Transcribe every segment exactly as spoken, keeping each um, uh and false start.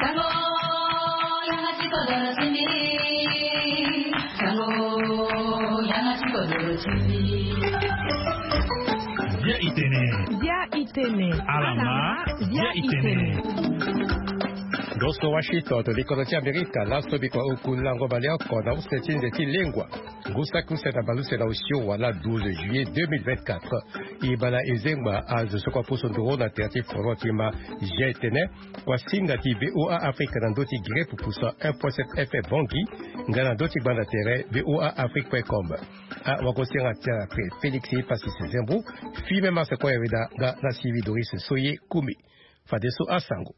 Sango, yanga ti kodoro ti mbi. Sango, yanga ti kodoro ti mbi. Bia itene. Bia itene. Alama, bia itene. Goso Washington, to likoto ti Amerika, laso bikua oku lango baleoko na use ti nze ti lengua. Ngu saki use na baleuse na osio wala douze juillet deux mille vingt-quatre. E bala e zengba azo so kua poso nduru na tere ti foro ti ma G T N. Kua singa ti V O A Afrique na ndö ti gere pupusa un point sept F M Bangui, nga na ndö ti gbanda tere V O A Afrique point com. A wagosinga ti a Félix Passis Zembo, fime Marse Koyaweda nga na Sylvie Doris Soye Kumi. Fadeso asango.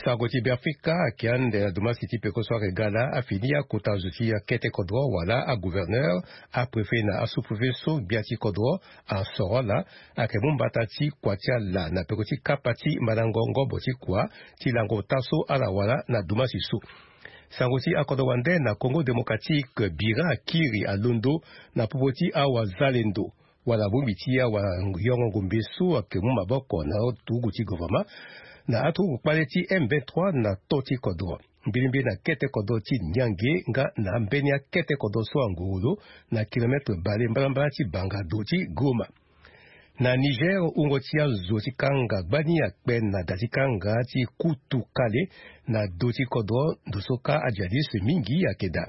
Sango ti Beafrika ayeke ande na dumasi ti peko so ayeke ga laa afini akota zo ti akete kodro wala agouverneur, apréfet na asous-préfet so gbia ti kodro asoro ala ayeke mu mbata ti kua ti ala na peko ti kapa ti mandango ngobo ti kua ti lango ota so ala wara na dumasi so. Sango ti akodro wande na Congo Démocratique bira akiri alondo na popo ti awazalendo. Wala bongbi ti awayongo ngombe so ayeke mu maboko na aturugu ti governement na aturugu kpale ti M vingt-trois na to ti kodro. Mbilimbili na kete kodro ti Niange nga na mbeni akete kodro so angurulu na kilometre bale mbalambala ti bangado ti Goma. Na Niger, wungo ti azo ti kanga gbani akpe na da ti kanga ti kutu kale na do ti kodro, ndo so ka ajihadiste mingi ayeke daa.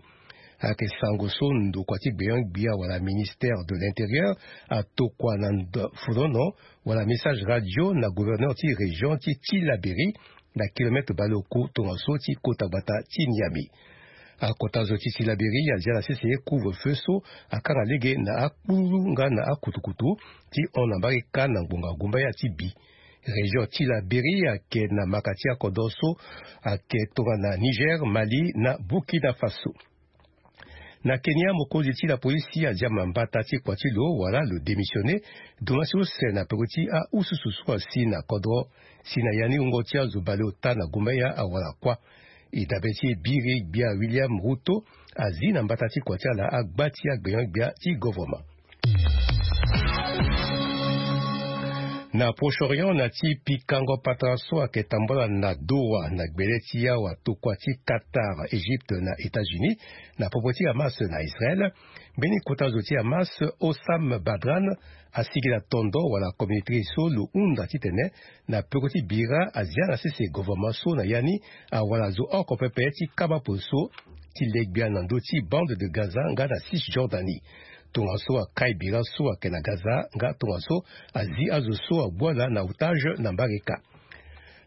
Ayeke sango so ndo kua ti gbenyo-gbia wala ministère de l'Intérieur atokua na ndo folono wala message radio na gouverneur ti région ti Tillabéri, na kilometre baleoku tongaso ti kota gbata ti Niamey. Akota zo ti Tillabéri azia na sese couvre-feu so akanga lege na akpuru nga na akutukutu ti hon na mbage kâ na ngbonga gumbaya ti bi. Région Tillabéri ayeke na maka ti akodro so ayeke tongana Niger, Mali na Burkina Faso. Na Kenya, mokonzi ti lapolisi azia mambata ti kua ti lo wala lo démissionner, dumasi use na peko ti aususu so asi na kodro. Si na ya ni wungo ti azo baleota na gumbaya awara kuâ. E dabe ti biri gbia William Ruto azi na mbata ti kua ti ala agba ti agbenyo-gbia ti governement. Na Proche-Orient, na ti pikango patara so ayeke tambula na Doha na gbele ti awa tokua ti Qatar, Égypte na États-Unis, na popo ti Hamas na Israël, mbeni kota zo ti Hamas, Hossam Badran, asigi na tondo wala communiqué so lo hunda titene na peko ti bira azia na sese governement so na ya ni awara zo oko pepe ti kaba poso ti le gbia na ndö ti bande de Gaza nga na Cisjordanie. Tongaso akai bira so ayeke na Gaza nga tongaso azi azo so agbua ala na otage na mbage kâ.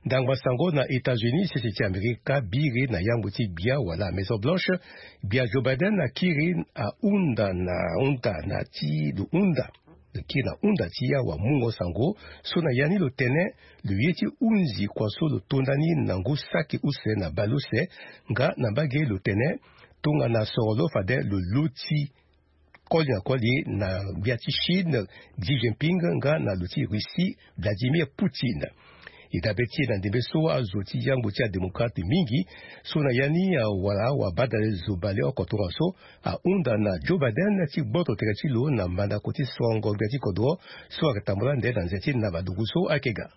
Ndangba sango na États-Unis, sese ti Amerika abiri na yambo ti gbia wala Maison Blanche, gbia Joe Biden akiri ahunda na hunda na ti lo hunda. Lo kiri na hunda ti awamungo sango so na ya ni lo tene lo ye ti hunzi kua so lo to ndani na ngu saki use na baleuse nga na mbage lo tene tongana soro lo fade lo luti koli na koli na gbia ti Chine, Xi Jinping, nga na lo ti Russie, Vladimir Poutine. E dabe ti e na ndembe so azo ti yangbo ti adémocrate mingi so na ya ni awara wabadale zo baleoko tongaso ahunda na Joe Biden ti gboto tere ti lo na mandako ti sorongo gbia ti kodro so ayeke tambula nde na nze ti naba dugu so ayeke ga.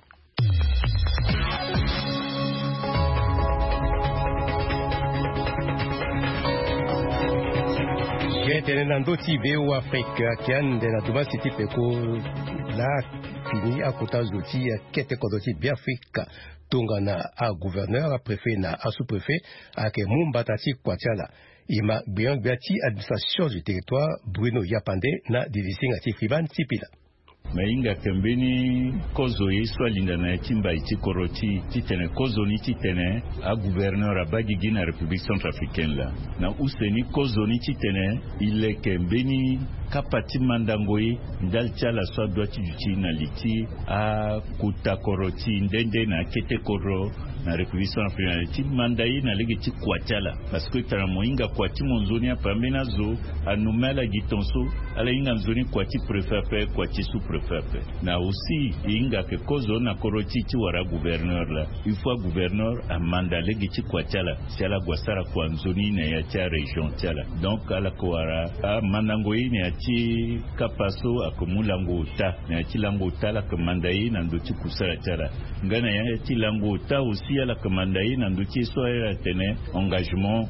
Ye tene na ndö ti V O A Afrique ayeke ande na dumasi ti peko laa fini akota zo ti akete kodro ti Beafrika tongana agouverneur, apréfet na asous-préfet ayeke mu mbata ti kua ti ala. E ma gbenyo-gbia ti administration du territoire Bruno Yapande na didisinga ti Fiban Sipila. Me hinga yeke mbeni kozo ye so alinda na ya ti mbai ti kodro ti e titene kozo ni titene agouverneur abaa gigi na République centrafricaine laa. Na use ni kozo ni titene e leke mbeni kapa ti mandango ye ndali ti ala so adua ti duti na li ti akota kodro ti e nde nde na akete kodro na République centrafricaine na li ti manda ye na lege ti kua ti ala. Parce que tara mo hinga kua ti mo nzoni ape ambeni azo anomme ala gi ton so ala hinga nzoni kua ti préfet ape, kua ti sous-préfet ape. Na aussi e hinga yeke kozo na kodro ti e ti wara agouverneur laa. Il faut agouverneur amanda lege ti kua ti ala si ala gue asara kua nzoni na ya ti arégion ti ala. Donc ala yeke wara amandango ye na ya ti kapa so ayeke mu lango ota. Na ya ti lango ota ala yeke manda ye na ndö ti kusala ti ala. Nga na ya ti lango ota aussi ala yeke manda ye na ndö ti ye so ahiri atene engagement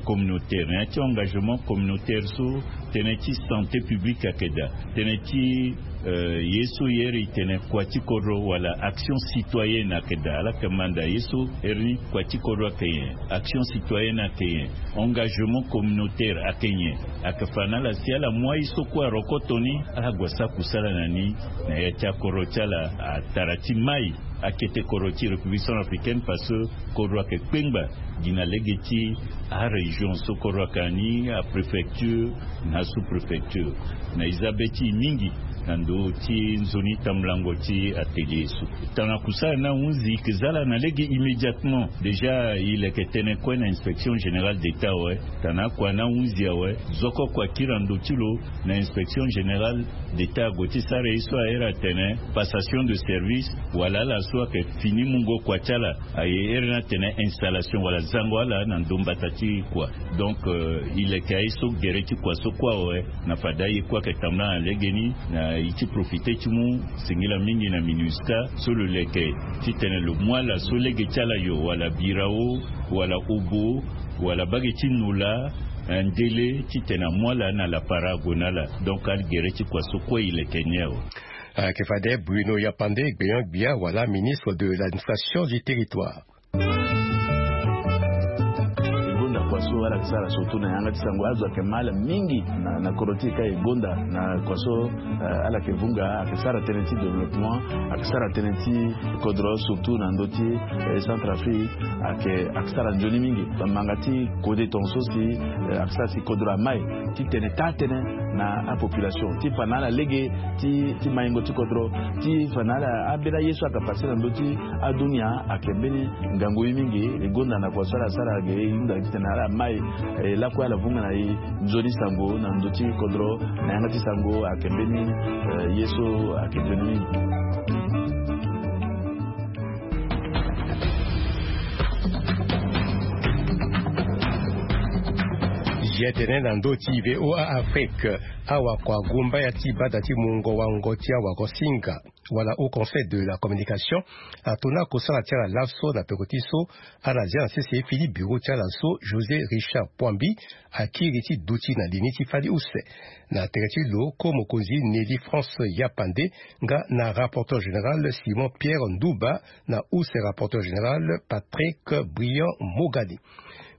communautaire. Na ya ti engagement communautaire so, tënë ti santé publique ayeke daa. Tënë ti ye so e iri tene kua ti kodro wala action citoyenne ayeke daa. Ala yeke manda ye so e iri ni kua ti kodro ayeke nyen, action citoyenne ayeke nyen, engagement communautaire ayeke nyen. Ayeke fa na ala si ala mu aye so kue arokoto ni, ala gue asara kusala na ni. Na ya ti akodro ti ala, atara ti mai akete kodro ti République centrafricaine, parce que kodro ayeke kpengba gi na lege ti arégion so kodro ayeke na ni, apréfecture na asous-préfecture. Na e za be ti e mingi na ndö ti nzoni tambulango ti atelier so. Tana kusala ni ahunzi, e yeke za ala na lege immédiatement. Déjà e leke tënë kue na inspection générale d'État awe. Tana akua ni ahunzi awe, zo oko akue akiri na ndö ti lo, na inspection générale d'État ague ti sara ye so ahiri atene passation de service, wala ala so ayeke fini mungo kua ti ala, aye e iri ni atene installation wala zango ala na ndo mbata ti kua. Donc e leke aye so gere ti kua so kue awe. Na fade aye kue ayeke tambula na lege ni, na e ti profite ti mu singila mingi na MINUSCA so lo leke titene lo mu ala so lege ti ala yo, wala birao, wala obo, wala bage ti nola, ndele, titene amu ala na lapara ague na ala. Donc agere ti kua so kue e leke ni awe. Ayeke fade Bruno Yapande, gbenyo-gbia wala ministre de l'administration du territoire. E gonda kua so ala yeke sara surtout na yanga ti sango, azo ayeke ma ala mingi na, na kodro ti e ka e gonda na kua so, eh, ala yeke vunga, ayeke sara tënë ti développement, ayeke sara tënë ti kodro surtout na ndö ti, eh, Centrafrique, ayeke, ayeke sara nzoni mingi. Manga ti kode tongaso si, eh, ayeke sara si kodro amai titene taa tënë na apopulation ti fa na ala lege ti, ti maingo ti kodro, ti fa na ala ambeni aye so ayeke pase na ndö ti adunia ayeke mbeni ngangu ye mingi. E gonda na kua so ala sara ge e hunda titene ala mai, eh, lakue ala vunga na e nzoni sango na ndö ti kodro, na yanga ti sango ayeke mbeni, eh, ye so ayeke nzoni mingi. Ye tene na ndö ti V O A Afrique, awakua gumbaya ti bada ti mungo wango ti awagosinga wala Haut Conseil de la Communication atona kosala ti ala laso na peko ti so ala zia na sese fini bureau ti ala so José Richard Poambi akiri ti duti na li ni ti fade use. Na tere ti lo, ko mokonzi Nelly France Yapande nga na rapporteur général Simon Pierre Nduba na use rapporteur général Patrick Briand Mogani.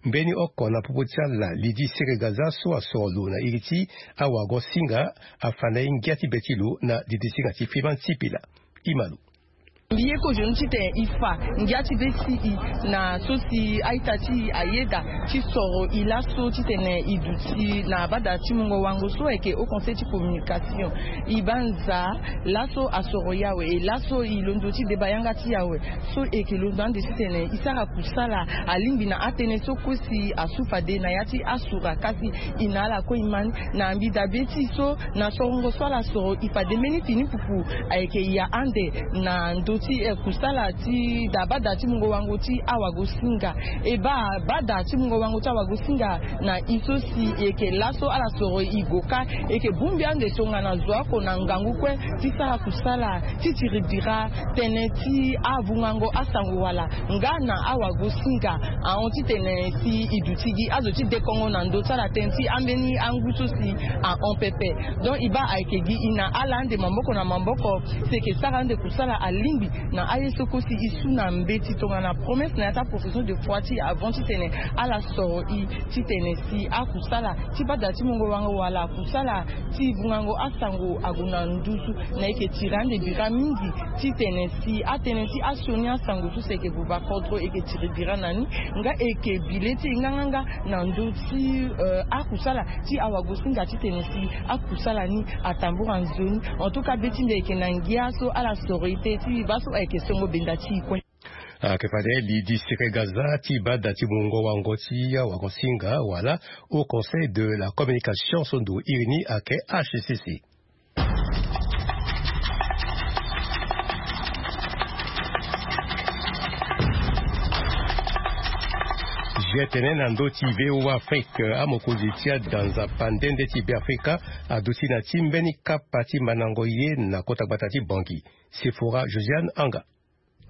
Mbeni oko na popo ti ala Lydie Seregaza so asoro lo na iri ti awagosinga afa na e ngia ti be ti lo na didisinga ti Fiman Sipila. Ima lo. Mbi ye kozoni titene e fa ngia ti be ti e na so si a-ita ti e ayeda ti soro e laso titene e duti na bada ti mungo wango so ayeke Haut Conseil ti communication. E banza laso asoro e awe, e laso e londo ti deba yanga ti e awe. So e yeke londo ande titene e sara kusala alingbi na atënë so kue si asu fade na ya ti asura, kasi e na ala kue e ma ni. Na mbi dabe ti e so na sorongo so ala soro e fade mbeni fini pupu ayeke ya ande na ndö ti, eh, kusala ti da bada ti mungo wango ti awagosinga. E baa bada ti mungo wango ti awagosinga na e so si e yeke laso ala soro e go kâ, e yeke bongbi ande tongana zo oko na ngangu kue ti sara kusala ti tiri bira tënë ti avungango asango wala nga na awagosinga ahon titene si e duti gi azo ti dekongo na ndö ti ala tënë ti ambeni angu so si ahon pepe. Donc e baa ayeke gi e na ala ande maboko na maboko si e yeke sara ande kusala alingbi na aye so kue si e su na mbeti tongana promesse na ya ti aprofession de foi ti e avant titene ala soro e titene si akusala ti bada ti mungo wango wala akusala ti vungango asango ague na nduzu. Na e yeke tiri ande bira mingi titene si atënë ti asioni asango so si e yeke buba kodro e yeke tiri bira na ni. Nga e yeke bi le ti e nganganga na ndö ti, eh, akusala ti awagosinga titene si akusala ni atambura nzoni. En tout cas be ti mbi ayeke na ngia so ala soro e te ti baa so ayeke songo benda ti e kue. Ayeke fade Lydie Seregaza ti bada ti mungo wango ti awagosinga wala Haut Conseil de la Communication so ndo iri ni ayeke H C C. Ge tene na ndö ti VOA Afrique, amokonzi ti ada nzapa nde nde ti Be Afrika aduti na ti mbeni kapa ti mandango ye na kota gbata ti Bangui. Sephora Josiane Anga.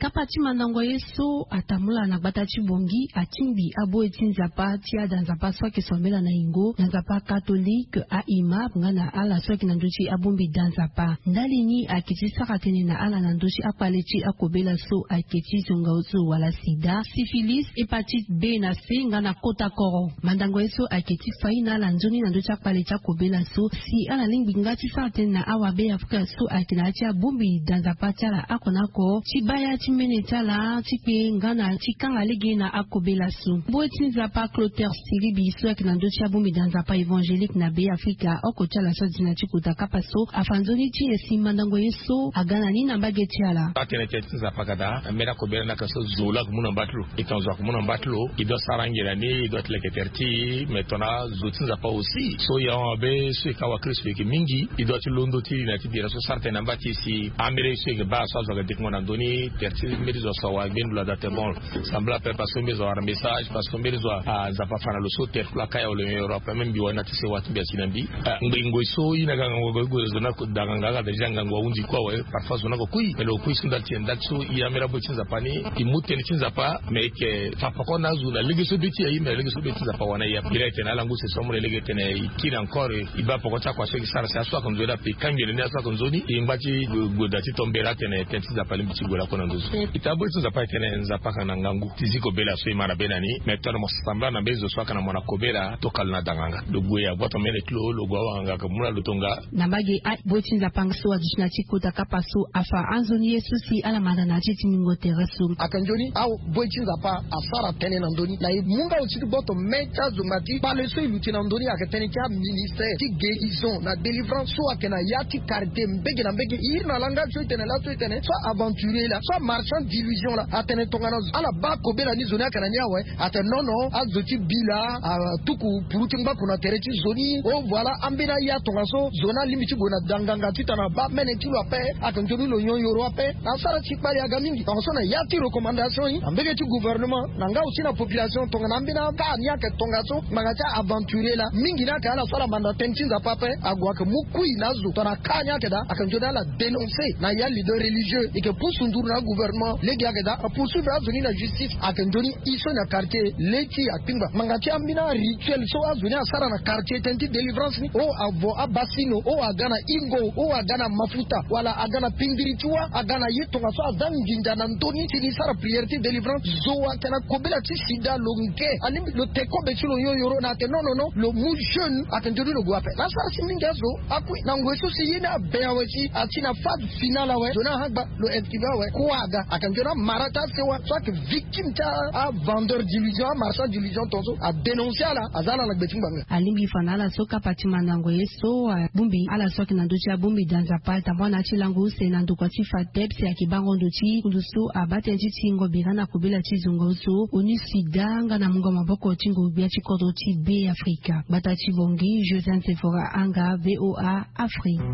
Kapa ti mandango ye so atambula na gbata ti Bangui atingbi aboye ti nzapa ti ada nzapa so ayeke sambela na yingo na nzapa katolike, aimam nga na ala so ayeke na ndö ti abongbi da nzapa. Ndali ni ayeke ti sara tënë na ala na ndö ti akpale ti akobela so ayeke ti zonga ozo wala sida, syphilis, hépatite B na C nga na kota koro. Mandango ye so ayeke ti fa ye na ala nzoni na ndö ti akpale ti akobela so si ala lingbi nga ti sara tënë na awabe afrika so ayeke na ya ti abongbi da nzapa ti ala oko na oko ti baa ya ti mene ti ala ti kpe nga na ti kanga lege na akobela so. Boye ti nzapa Clotaire Siribi so ayeke na ndö ti abongbi da nzapa évangélique na Be Afrika oko ti ala so azi na ti kota kapa so afa nzoni ti nyen si mandango ye so aga na ni na mbage ti ala. Atene tene ti nzapa ka daa mbeni akobela ni aka so zo laa akomu na mba ti lo. E tongana zo akomu na mba ti lo, e doit sara ange na ni, e doit ti leke tere ti e. Mais tongana zo ti nzapa aussi so e ahon abe so e ka wakristo e yeke mingi, e doit ti londo ti e na ya ti bira so sara tënë na mba ti e si ambeni ye so e yeke baa so azo aga dekungo na ndö ni. Tere ti mbeni zo aso awa ngbeni lo ada te bon. Sambela ape parce que mbeni zo awara message, parce que mbeni zo a nzapa afa na lo so tere ti lo aka ya wala nyon yoro ape même mbi wani na ti sewa ti mbi asi na mbi. Ngoi ngoi so i na ga ngangu ague zo ni ako da nganga aga déjà ngangu ahunzi kue awe. Parfois zo ni ako kui mais lo kui so ndali ti e ndali so i ambeni aboye ti nzapa ni, i mu tënë ti nzapa mais i yeke fa poko na azo na lege so be ti e aye mais na lege so be ti nzapa wani aye ape. I la e tene ala ngu se so amu na lege tene i kiri encore i baa poko ti akua so i yeke sara si aso aka nzoni ape i kangbi na ni aso aka nzoni i ngba ti gue gue da ti tombera atene tënë ti nzapa alingbi ti gue lakue na nduzu. I ta aboye ti nzapa e tene nzapa aka na ngangu ti zi kobela so i mara be na ni mais tongana mo sambela na mbeni zo so aka na mo na kobela tokalo na danganga lo gue agboto mene ti lo lo gue awanganga aka mu na lo tonga. Na mbage aboye ti nzapa so aduti na ti kota kapa so afa anzoni ye so si ala manda na ya ti tingbingo tere so. Aka nzoni aboye ti nzapa asara tënë na ndö ni na e mu nga aussi ti gboto me ti azo ngba ti kpale so e luti na ndö ni ayeke tënë ti aministère ti guérison na délivrance so ayeke na ya ti quartier mbege na mbege iri na langage so e tene laso e tene so aventurier laa so amarchand d'illusion laa atene tongana ala baa kobela ni zo ni ayeke na ni awe. Atene non non azo ti bi laa atuku puru ti ngbaku na tere ti zo ni. Oh voilà ambeni aya tongaso zo ni alingbi ti gue na danganga titene abaa mene ti lo ape. Ayeke nzoni lo nyon yoro ape. Asara ti kpale aga mingi tongaso na ya ti recommandation i na mbege ti gouvernement na nga aussi na population tongana ambeni aka ni ayeke tongaso ngbanga ti aventurier laa mingi ni ayeke ala so ala manda tënë ti nzapa ape. Ague ayeke mu kui na azo tongana aka ni ayeke daa ayeke nzoni ala dénoncer na ya leader religieux i yeke pusu nduru na agouvernement lege ayeke daa apoursuivre azo ni na justice. Ayeke nzoni i so na quartier le ti akpingba ngbanga ti ambeni arituel so azo ni asara na quartier tënë ti délivrance ni o avo abasino o aga na ingo o aga na mafuta wala aga na pindiri ti wa aga na ye tongaso aza nginza na ndö ni si ni sara prière ti délivrance. Zo ayeke na kobela ti sida lo nge alingbi lo te kobe ti lo nyon yoro na ayeke non non non lo mu jeune ayeke nzoni lo gue ape. Asara si mingi azo akui na ngoi so si ye ni abe awe si asi na phase finale awe zo ni ahagba lo escribe awe kua aga ayeke nzoni amara ti asewa so ayeke victime ti avendeur d'illusion amarchand d'illusion tongaso adénoncer ala aza ala na gbe ti ngbanga. Alingbi fa na ala so kapa ti mandango ye so abongbi ala so ayeke na ndö ti abongbi da nzapa atambua na ya ti lango use na ndokua ti fatep si ayeke bango ndo ti kundu so abaa tënë ti tingo bira na kobela ti zongo so onu sida nga na mungo maboko ti ngongbia ti kodro ti be afrika gbata ti bongi josiane sephora anga voa afrique.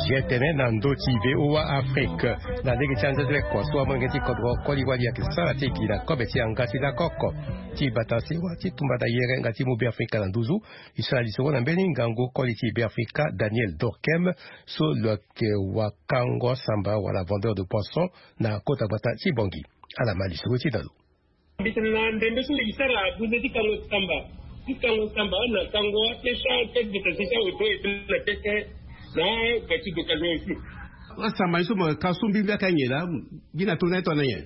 Ge tene na ndö ti voa afrique na lege ti anzezele kua so amolenge ti kodro koli wali ayeke sara ti gi na kobe ti yanga ti lakoko ti bata sewa ti tumba na yere nga ti mu be afrika na nduzu. E sara lisoro na mbeni ngangu koli ti be afrika daniel dorkem so lo yeke wakango samba wala vendeur de poisson na kota gbata ti bongi. Ala ma lisoro ti na lo. Mbi tene na ndembe so mbi sara buze ti kango samba ti kango samba na kango apesa tete de tete ti aoto ete na tete na gati d'occasion aussi. Asamba ni so mo ka so mbimbi aka nyen laa? Gi na tongana ye tongana nyen?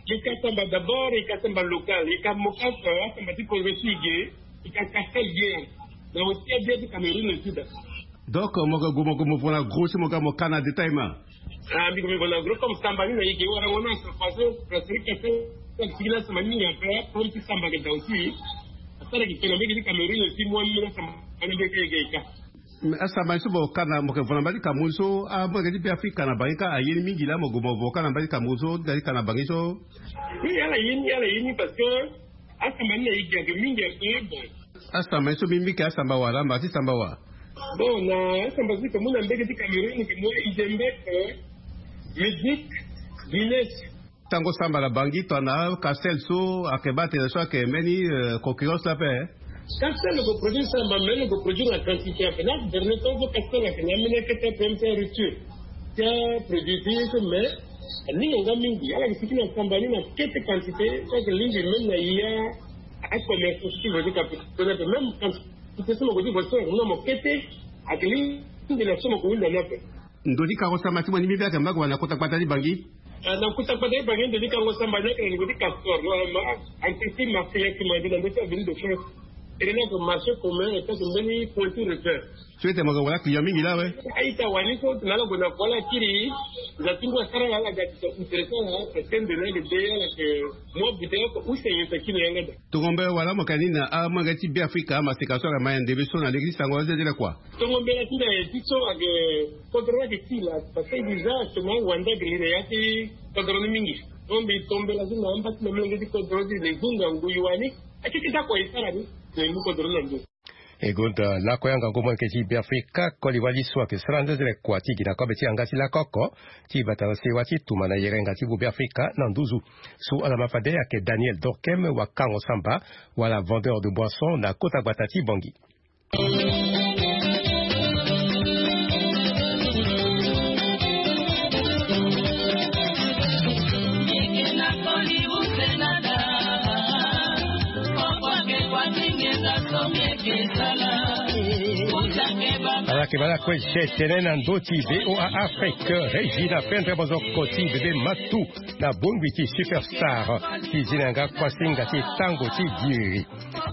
Ye ka samba d'abord ye ka samba local ye ka mo ka asamba ti konzo ti e ge. Ye ka kasa ye na aussi abia ti cameroun le sud. Donc mo ga gue mo gue mo vo na gros ti mo ga mo ka na détail ma. Ah mbi ko mbi vo na gros comme samba ni na ye ge wara ngo na sa passe presque kasa sigi na samba ni na pe comme ti samba ke da aussi. Asara ki pena mbege ti cameroun aussi moi mbi na samba ni mbege ye ge ka. Asamba ni so mo ka na mo ke vo na mbali kamu so amolenge ti be afrika na bangi ka aye ni mingi laa mo gue mo vo ka na mbali kamu so ndali ka na bangi so. Oui ala ye ni ala ye ni parce que asamba ni na ye ge ake mingi ake bon. Asamba ni so mbi mbi ke asamba wa la mba ti samba wa? Bon, na asamba so mbi ke mu na mbege ti Cameroun, mbi ke mu Izembek, Midik, Guinée. Tango samba na Bangui tongana Castel so ayeke baa tene so ayeke mbeni concurrence la pe. Castel lo ko produire samba, mais lo ko produire na quantité ape. Na dernier temps so Castel ayeke na ambeni akete ape, M T R rupture ti aproduit ti ye so, mais aninga nga mingi. Ala yeke siki na samba ni na kete quantité so ayeke lingbi même na ya acommerce so ti vote kape. Même quantité so mo ko ti vote so ayeke mu na mo kete, ayeke lingbi na so mo ko hunda ni ape. Ndo ti kango samba ti mo ni mbi mbi ayeke mba gue na kota gbata ti Bangui? Ah, na kota gbata ti Bangui ndo ti kango samba ni ayeke na niveau ti Castor, no, ma, entreprise Marseillais ti mandi na ndo ti Avenue de France. Tene ni ayeke marché commun, ayeke mbeni point ti repère. So ete mo yeke wara client mingi la awe? A-ita wani so tene ala gue na kua ala kiri, nza ti ngu asara ala ga ti intéressant la, parce que ndo ni ayeke de ala yeke mu abute oko use nyen so akiri na yanga daa. Tongombe wala mo yeke na ni na amolenge ti Beafrika, amaseka so ayeke ma ya ndembe so na lege ti sango azenzele kua. Tongo mbela ti na ye ti so ayeke kodro ni ayeke ti la, parce que déjà actuellement wande ayeke li na ya ti kodro ni mingi. Donc mbi to mbela ti na amba ti na molenge ti kodro ti le zu ngangu e wani akeke ti akua e sara ni, na e mu kodro ni na ndo. E gonda lakue angangu molenge ti Beafrika koli wali so ayeke sara nzenzele kua ti gi na kobe ti yanga ti lako oko ti bata na sewa ti tuma na yerenga ti ngu Beafrika na nduzu. So ala ma fade ayeke Daniel Dorkem, wakango samba wala vendeur de boisson na kota gbata ti Bangui. Ala yeke baa lakue je tene na ndö ti V O A Afrique, Régine apendre bozoko ti bebe Matou na bongbi ti Superstar ti zi na yanga kuasinga ti tango ti giriri.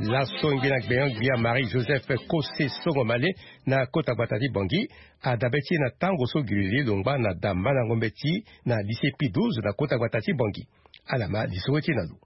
Laso ngbi na gbenyo-gbia Marie Joseph Kose Songo Male na kota gbata ti Bangui, adabe ti e na tango so giriri lo ngba na da mandango mbeti na lycée Pie douze na kota gbata ti Bangui. Ala ma lisoro ti e na lo.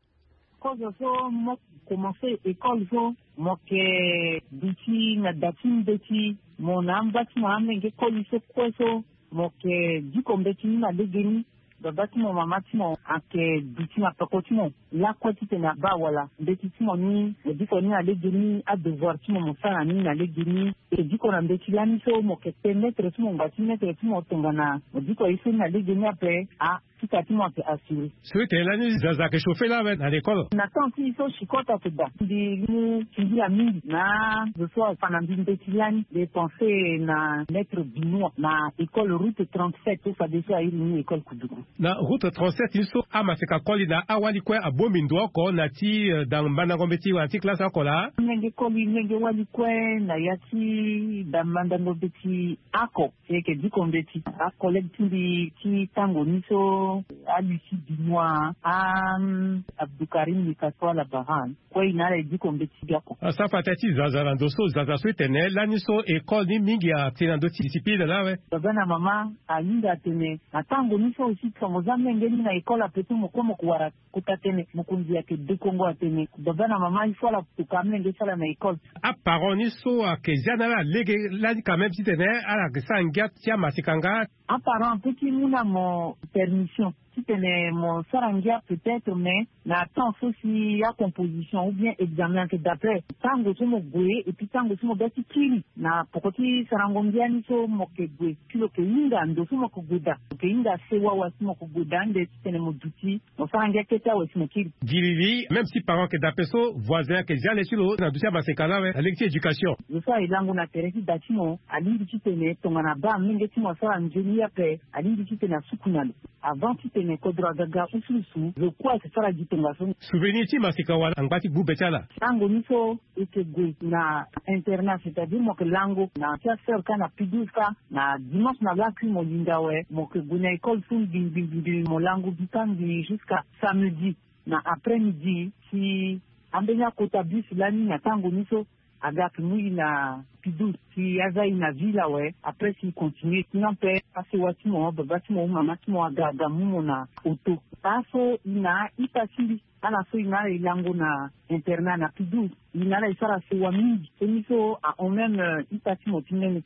Kozo so mo commencé école so, mo yeke duti na da ti mbeti, mo na amba ti mo amolenge koli so kue so, mo yeke diko mbeti ni na legeni. Baba ti mo, mama ti mo ayeke duti na peko ti mo lakue titene abaa wala mbeti ti mo ni, mo diko ni na legeni, adevoir ti mo mo sara ni na legeni. E diko na mbeti lani so mo yeke te maître ti mo, ngba ti maître ti mo tongana mo diko ye so ni na legeni ape, a, sika ti mo ayeke assuré. So ete lani zaza ayeke chauffer lawe na l'école? Na temps ti e so chicot ayeke daa. Mbi mu tingia mingi na zo so afa na mbi mbeti lani. Mbi pensé na maître Benoît na école route trente-sept so fadeso airi ni école Koudougou. Na route trente-sept ni so amaseka koli na awali kue abongbi ndo oko na ti, eh, da mandango mbeti wala ti classe oko laa? Molenge koli, molenge wali kue na ya ti da mandango mbeti oko. E yeke diko mbeti. Acollègue ti mbi ti tango ni so, a Lucie Benoît, a, mm, Abdoukarim Likaso ala bara. Kue e na ala e diko mbeti biako. Asara fa tënë ti zaza na ndo so, zaza so e tene lani so école ni mingi atene na ndö ti discipline lawe? Baba na mama ahinga atene na tango ni so aussi tongana mo za molenge ni na école ape so mo kue mo ko wara kota tënë, mokonzi ayeke dekongo atene baba na mama il faut ala toka amolenge ti ala na école. Aparent ni so ayeke zia na ala lege lani quand même titene ala yeke sara ngia ti amaseka nga? Aparent apeut ti mu na mo permission titene mo sara ngia peut-être, mais na temps so si acomposition ou bien examen ayeke daa ape, tango so mo gue et puis tango so mo bia ti kiri na poko ti sarango ngia ni so mo yeke gue, si lo yeke hinga ndo so mo yeke gue daa, lo yeke hinga sewa wa si mo yeke gue daa ande titene mo duti mo sara ngia kete awe si mo kiri. Giriri, même si parent ayeke daa ape so, voisin ayeke zia le ti lo na duti amaseka lawe na lege ti éducation. Zo so aye lango na tere ti da ti mo alingbi titene tongana abaa molenge ti mo asara nzoni ye ape, alingbi titene asuku na lo. Avant titene kodro aga ga usuusu, zo kue ayeke sara gi tongaso. Souvenir ti maseka wala angba ti gbu be ti ala? Tango ni so e yeke gue na internat, c'est-à-dire mo yeke lango na ti asœur kâ na Pie douze kâ, na dimanche na lakui mo linda awe, mo yeke gue na école so ngbi ngbi ngbi, mo lango gi kâ ngbi jusqu'à samedi na après-midi. Si ambeni akota bus lani na tango ni so aga ake mu e na Pie douze si aza e na ville awe, après si e continuer. Sinon ape asewa ti mo, baba ti mo ou mama ti mo aga aga mu mo na auto. Taa so e na a-ita ti mbi, ala so e na ala e lango na internat na Pie douze, e na ala e sara sewa mingi. So ni so ahon même, euh, ita ti mo ti mbeni.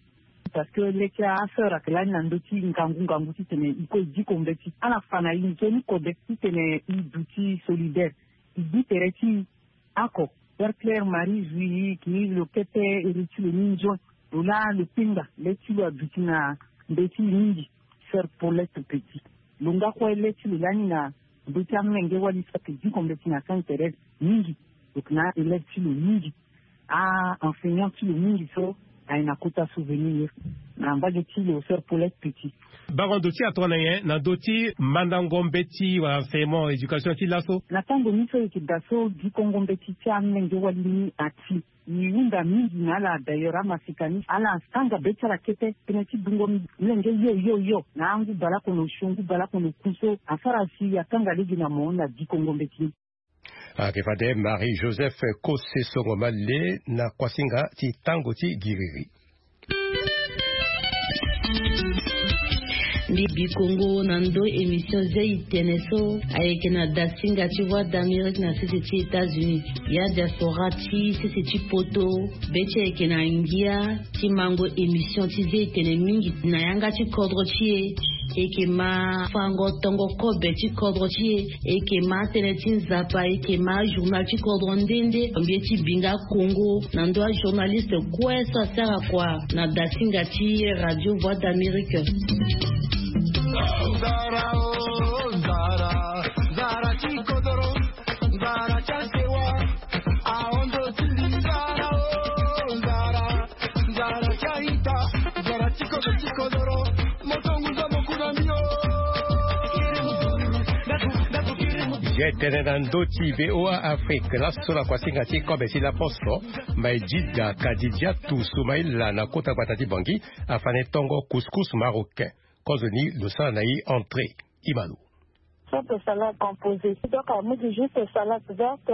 Parce que le ti asœur ayeke lani na ndö ti ngangu ngangu titene e kue e diko mbeti. Ala fa na e nzoni kode titene e duti solidaire, e gbu tere ti e oko. Sœur Claire Marie Zui, ki lo kete ere ti lo ni nzoni. Lo laa lo kpenga le ti lo aduti na mbeti mingi. Sœur Paulette Petit, lo nga kue le ti lo lani na mbeti amenge wali sa ke diko mbeti na Sainte Thérèse mingi. Donc na élève ti lo mingi, a enseignant ti lo mingi so aye na kota souvenir na mbage ti lo Sœur Paulette Petit. Bango ndo ti atongana nyen na ndo ti mandango mbeti wala enseignement éducation ti laso? Na tango ni so eke daa so dikongo mbeti ti amenge wali ni ati, e hunda mingi na ala. D'ailleurs amasika ni ala asanga be ti ala kete tënë ti dungo mlenge yo yo yo na angu baleoko na osio, ngu baleoko na oku so asara si akanga lege na mo na dikongo mbeti ni. Ayeke fade Marie Joseph Kose Songo Male na kuasinga ti tango ti giriri. Mbi bi kongo na ndö émission zia itene so ayeke na dasinga ti Voix d'Amérique na sese ti États-Unis. Ya diaspora ti sese ti poto, be ti ayeke na ngia ti mango émission ti zia itene mingi na yanga ti kodro ti e. Eke ma fango tongo kobe ti kodro ti e. Eke ma tënë ti nzapa, eke ma journal ti kodro nde nde. Mbi ye ti bi nga kongo na ndö ajournaliste kue so asara kua na dasinga ti Radio Voix d'Amérique. Nzara o nzara, nzara ti kodoro, nzara ti asewa. Ahon ndo ti li nzara o nzara, nzara ti aita, nzara ti kobe ti kodoro. Moto ngu nza moku na mbi o. Ye tene na ndö ti VOA Afrique laso na kuasinga ti kobe ti laposo. Maïdjida Kadidiatou Soumaïla na kota gbata ti Bangui afa na e tongo couscous marocain. Kozo ni lo sara na e entrée. Imalo. Sorte salade composée. Donc amu gi juste salade verte,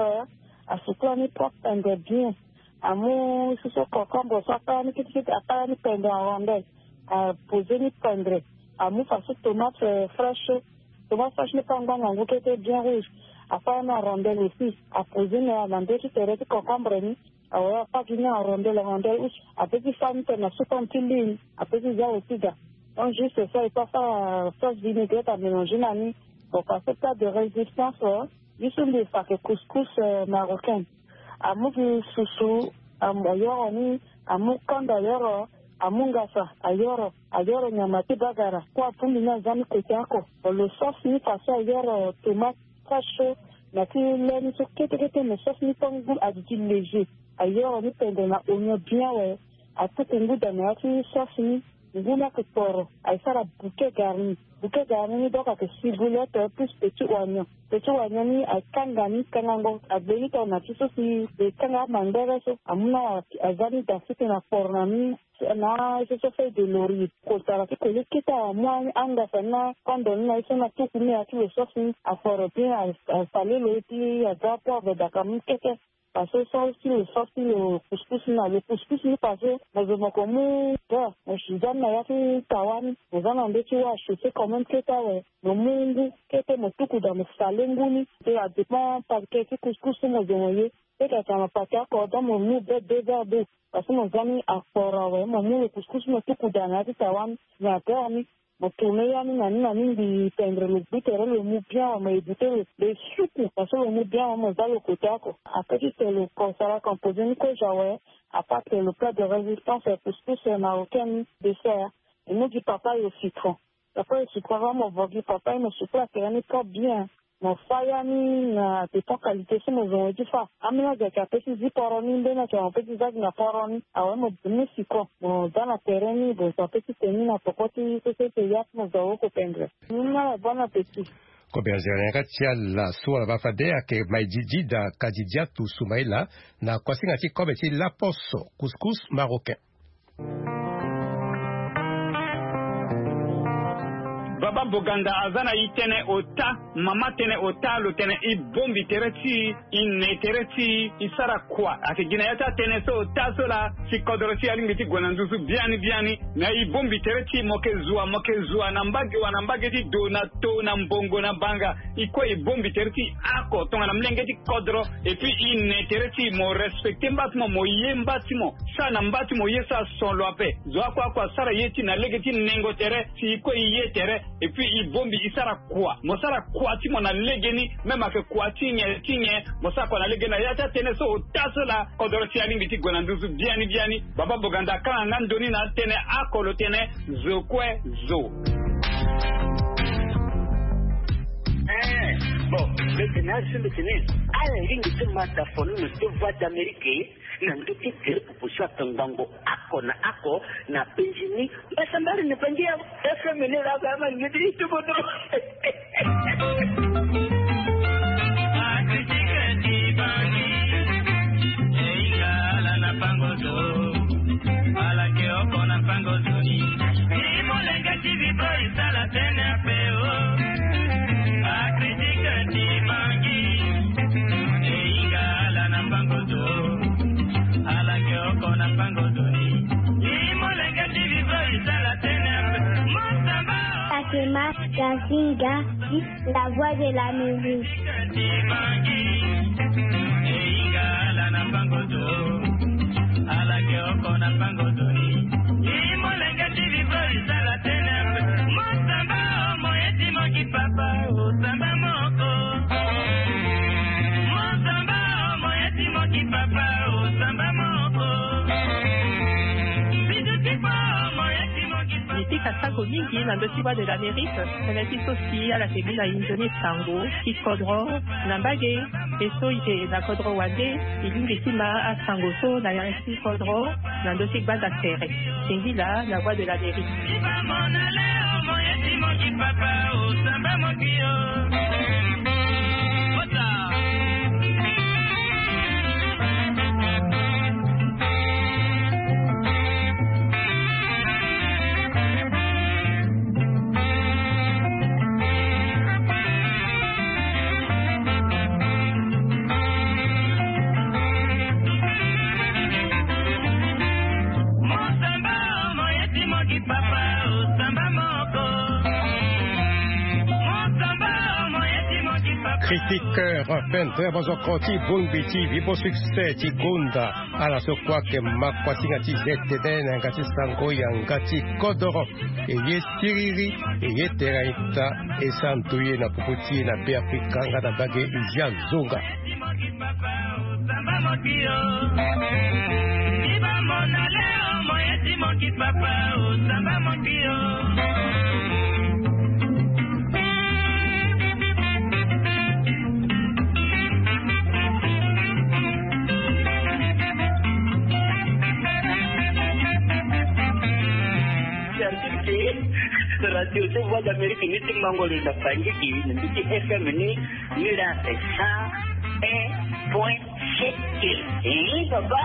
asukola ni propre pendre bien. Amu susu concombre so akala ni kitikiti, akala ni pendre en rondelle, aposer ni pendre. Amu faso tomate fraîche. Tomate fraîche ni pe angbanga ngu kete bien rouge. Afâ ni en rondelle aussi, aposer ni na ndö ti tere ti concombre ni. Awe, afa gi ni en rondelle, en rondelle use. Ape ti fa ni tene na sous-forme ti ligne. Ape ti za aussi ga. Donc juste ça, il faut faire sauce vinaigrette à mélanger na ni. Bon, parce que plat de résistance, juste mbi fa ke couscous marocain. Amu gi susu, amu ayoro ni, amu kanda ayoro, amu ngasa ayoro, ayoro nyama ti bagara. Kua apundi ni aza ni kote ako. Lo sauce ni faso ayoro tomate fraîche na ti lê ni so kete kete, mais sauce ni pe ngu aduti léger. Ayoro ni pendre na oignon bien awe. Atuku ngu daa na ya ti sauce ni. Ngu ni ayeke poro, aye sara bouquet garni. Bouquet garni ni donc ayeke ciboulette plus petit oignon. Petit oignon ni aye kanga ni, kangango agbe ni tongana ti so si e kanga amangbere so. Amu na aza ni daa siki na poro na ni. Na ye so so feuille de laurier. Kotara ti koli kete amu angasa ni na kondo ni na ye so na tuku ni na ya ti lo sauce ni. Aforo bien, asale lo ye ti aza poivre daka mu kete. Parce que so si lo sauce ti lo couscous ni na lo couscous ni parce que mo zo mo ko mu beurre, mo si za ni na ya ti tawa ni, mo za na ndö ti wâ achauffé quand même kete awe. Mo mu ngu kete mo tuku daa mo sale ngu ni. Te adépend paquet ti couscous so mo zo mo ye. Peut être na paquet oko donc mo mu be deux verres d'eau. Parce que mo za ni aforo awe, mo mu lo couscous mo tuku daa na ya ti tawa ni, na beurre ni. Mo tourner ya ni na ni na ni mbi pendre lo gbu tere lo mu bien awe, mo ébouter lo, lo suku parce que lo mu bien awe, mo za lo kote oko. Après ti tene lo ko sara composer ni kozo awe, à part que lo plat de résistance, couscous marocaine, dessert, e mu gi papaye au citron. Papaye au citron, avant mo vo gi papaye, mo sukola tere ni fort bien. Mo fâ ya ni na dépend qualité so mo zo mo ye ti fâ. Ambeni azo ayeke ape ti zi poro ni, mbeni ayeke mo pe ti za gi na poro ni. Awe mo boni citron, mo za na tere ni, mo zo ape ti tene ni na poko ti sese ti ya ti mo zo awe oko pendre. Ni na bon appétit. Kobe aza na yanga ti ala so ala baa fade ayeke Maïdjida Kadidiatou Soumaïla na kuasinga ti kobe ti laposo couscous marocain. Baba Boganda aza na e tënë ota, mama tënë ota, lo tene e bongbi tere ti e, e ne tere ti e, e sara kua. Ayeke gi na ya ti atënë so ota so laa si kodro ti e alingbi ti gue na nduzu biani biani. Me e bongbi tere ti e, mo yeke zo wa, mo yeke zo wa na mbage wa, na mbage ti do, na to, na mbongo, na banga. E kue e bongbi tere ti e oko tongana molenge ti kodro. Et puis e ne tere ti e, mo respecter mba ti mo, mo ye mba ti mo. Sara na mba ti mo ye so ason lo ape. Zo oko oko asara ye ti e na lege ti nengo tere si e kue e ye tere. Et puis e bongbi e sara kua. Mo sara kua ti mo na legeni, même ayeke kua ti nyen ti nyen, mo sara kua na legeni na ya ti atënë so ota so laa kodoro ti e alingbi ti gue na nduzu biani biani. Baba Boganda akanga nga ndoni na atënë oko lo tene zo kue zo. Eh, bon, mbi tene azo so mbi tene ala lingbi ti ma da fono na deux voix d'Amérique na ndö ti tere proposition ake ngbangbo oko na oko na penzi ni. Mbasambari na penzi ya F M ni laa ba ma ngeti ti tubono. Akritike ti bangi, e hinga ala na pango zo. Ala ke oko na pango zo ni. Ni molenge ti vivo e sala tënë ape o. Akritike ti bangi, e hinga ala na pango zo. Ala ke oko na pango zo ni. Ni molenge ti vivo e sala tënë ape. Mosamba. Akema Gazinga, la voix de l'Amérique. Ni pika sango mingi na ndö ti Voix de l'Amérique. Tënë ti so si ala yeke gi na e nzoni sango ti kodro na mbage. E so e yeke na kodro wande, e lingbi ti ma asango so na yanga ti kodro na ndö ti gbanda tere. Singila na Voix de l'Amérique. Critiqueur, fin très bon, ti bongbi ti vivo succès ti gonda. Ala so kue ayeke ma kuasinga ti ze tënë na yanga ti sango yanga ti kodoro. E ye siriri, e ye tera ita, e sara ndoye na popo ti e na Beafrika nga na mbage e zia zonga. Radio ti Voix d'Amérique ni ti mango lo na Pangiki na ndö ti F M ni, ni la cent un point sept. Eh, baba.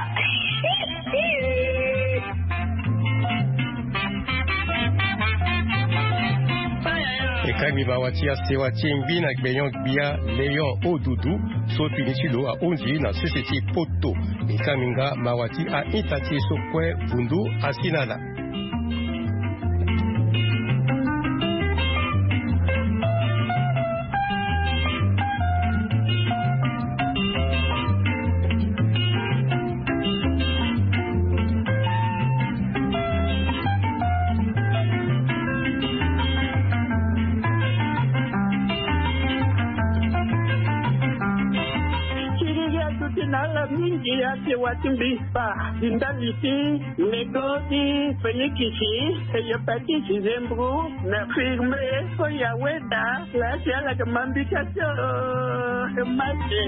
E kangbi mawa ti asewa ti e ngbi na gbenyo-gbia Léon Odudu so fini ti lo ahunzi na sese ti Poto. E kangbi nga mawa ti a-ita ti e so kue vundu asi na ala. Siriri aduti na ala mingi asewa ti mbi. Ba di ndali ti medo ti fenikisi, hepatite, zembro, na firme, so ya weda la si ala yeke ma mbi ka ti o. Hemate.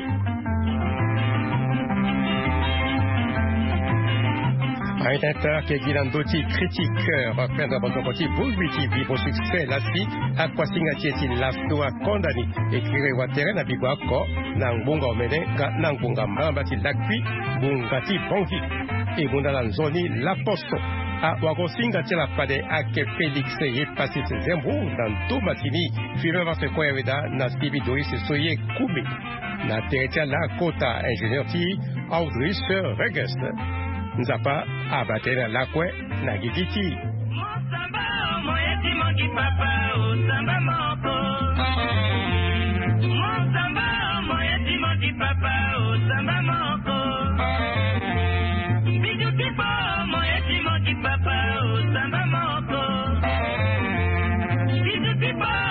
Aita ita ayeke gi na ndö ti critiqueur, après na banzoko ti bongbi ti vivo succès lasi. Akuasinga ti e ti laso akonda ni. E kiri watere na bibo oko na ngbonga omene nga na ngbonga maramba ti lakui, ngbonga ti Bangui. E gonda na nzoni laposo. Awagosinga ti ala fade ayeke Félix Epassis Zembo na ndo masini. Firme va se kue weda na sibi Doris Soye Koume. Na tere ti ala akota ingénieur ti Audrey Sir Regis. Nzapa abate na lakue na gigi ti. Mosamba, moyeti moki papa, osamba moko. Mosamba, moyeti moki papa, osamba moko. Bidu Pipo, moyeti moki papa, osamba moko. Bidu Pipo.